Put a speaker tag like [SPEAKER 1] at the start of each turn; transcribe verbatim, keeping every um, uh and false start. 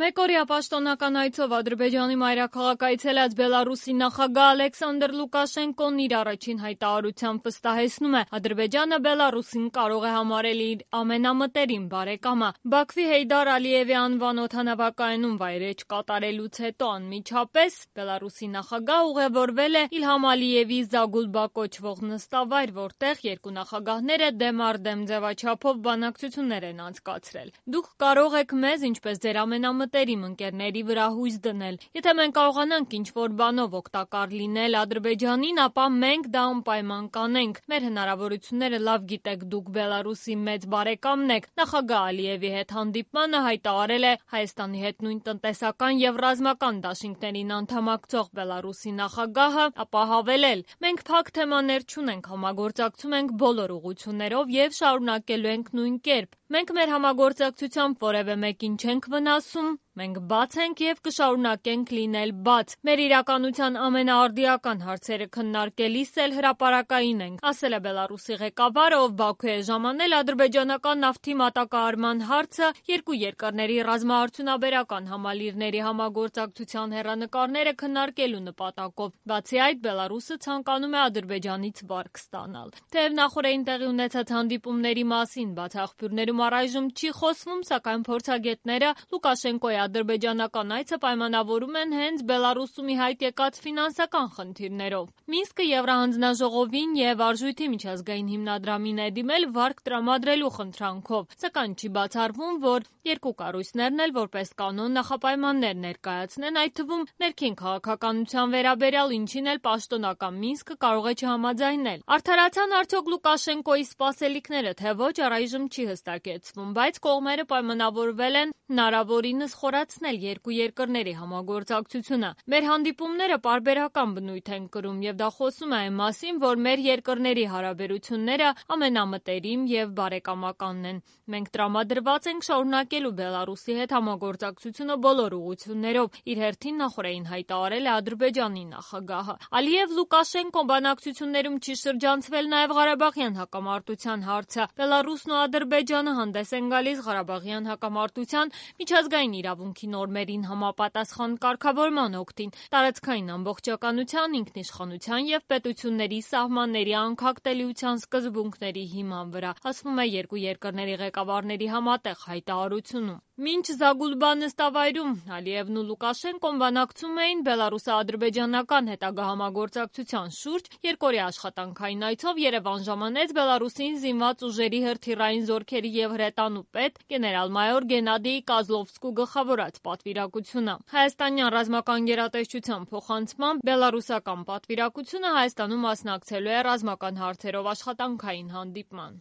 [SPEAKER 1] Մեկօրյա պաշտոնական այցով Ադրբեջանի մայրաքաղաք այցելած Բելարուսի նախագահ Ալեքսանդր Լուկաշենկոն իր առաջին հայտարարությամբ վստահեցնում է՝ Ադրբեջանը Բելարուսին կարող է համարել իր ամենամտերիմ բարեկամը։ Բաքվի Հեյդար Ալիևի անվան օդանավակայանում վայրէջք կատարելուց հետո անմիջապես Բելարուսի նախագահ ուղևորվել է Իլհամ Ալիևի Զագուլբա կոչվող նստավայր, որտեղ երկու նախագահները դեմ առ դեմ ձևաչափով բանակցություններ են անցկացրել։ Դուք կարող եք մեզ, ինչպես ձեր ամենամտերիմ ընկերների վրա հույս դնել։ Եթե մենք կարողանանք ինչ-որ բանով օգտակար լինել Ադրբեջանին, ապա մենք դա անպայման կանենք։ Մեր հնարավորությունները լավ գիտեք դուք, Բելարուսի մեծ բարեկամն եք։ Նախագահ Ալիևի հետ հանդիպմանը հայտարարել է Հայաստանի հետ նույն տնտեսական եւ ռազմական դաշինքներին անդամակցող Բելարուսի նախագահը, ապա հավելել. մենք փակ թեմաներ չունենք, համագործակցում ենք բոլոր ուղղություններով եւ շարունակելու ենք նույն կերպ։ Մենք մեր համագործակցությամբ որևէ մեկին չենք վնասում, մենք բաց ենք եւ կշարունակենք լինել բաց։ Մեր իրականության ամենաարդիական հարցերը քննարկելիս էլ հրապարակային ենք, ասել է Բելարուսի ղեկավարը, ով Բաքու է ժամանել ադրբեջանական նավթի մատակարարման հարցը երկու երկրների ռազմաարդյունաբերական համալիրների համագործակցության հեռանկարները քննարկելու նպատակով։ Բացի այդ, Բելարուսը ցանկանում է Ադրբեջանից վարկ ստանալ։ Թեև նախորդին տեղի ունեցած հանդիպումների մասին բաց աղբյուրներում առայժմ չի խոսվում, սակայն փորձագետները Լուկաշենկոյի ադրբեջանական այցը պայմանավորում են հենց Բելարուսում ի հայտ եկած ֆինանսական խնդիրներով։ Մինսկը Եվրահանձնաժողովին եւ Արժույթի միջազգային հիմնադրամին է դիմել վարկ տրամադրելու խնդրանքով, սակայն չի բացառվում, որ երկու կառույցներն էլ որպես կանոն նախապայմաններ ներկայացնեն, այդ թվում ներքին քաղաքականության վերաբերյալ, ինչին էլ պաշտոնական Մինսկը կարող է չհամաձայնել։ Արդարացան արդյոք Լուկաշենկոյի սպասելիքները, թե ոչ, առայժմ չի հստակեցվում, բայց կողմերը պայմանավորվել են հնարավորինս խորացնել երկու երկրների համագործակցությունը։ Մեր հանդիպումները պարբերական բնույթ են կրում եւ դա խոսում է այն մասին, որ մեր երկրների հարաբերությունները ամենամտերիմ եւ բարեկամականն են։ Մենք տրամադրված ենք շարունակելու Բելարուսի հետ համագործակցությունը բոլոր ուղղություններով, իր հերթին նախորդին հայտարարել է Ադրբեջանի նախագահը։ Ալիև-Լուկաշենկո բանակցություններում չի շրջանցվել նաեւ Ղարաբաղյան հակամարտության հարցը։ Բելարուսն ու Ադրբեջանը հանդես են գալիս Ղարաբաղյան հակամարտության միջազգային իրավունքի նորմերին համապատասխան կարգավորման օգտին, տարածքային ամբողջականության, ինքնիշխանության եւ պետությունների սահմանների անկախտելիության սկզբունքների հիման վրա, ասվում է երկու երկրների ղեկավարների համատեղ հայտարարությունում։ Մինչ Զագուլբա նստավայրում Ալիևն ու Լուկաշենկոն բանակցում էին բելարուսա-ադրբեջանական հետագա համագործակցության շուրջ, երկօրյա աշխատանքային այցով Երևան ժամանեց Բելարուսին զինված ուժերի հրթիռային զորքերի եւ հրետանու պետ գեներալ-մայոր Գենադի Կազլովսկու գլխավորած պատվիրակությունը։ Հայաստանյան ռազմական գերատեսչության փոխանցմամբ բելարուսական պատվիրակությունը Հայաստանում մասնակցելու է ռազմական հարցերով աշխատանքային հանդիպման։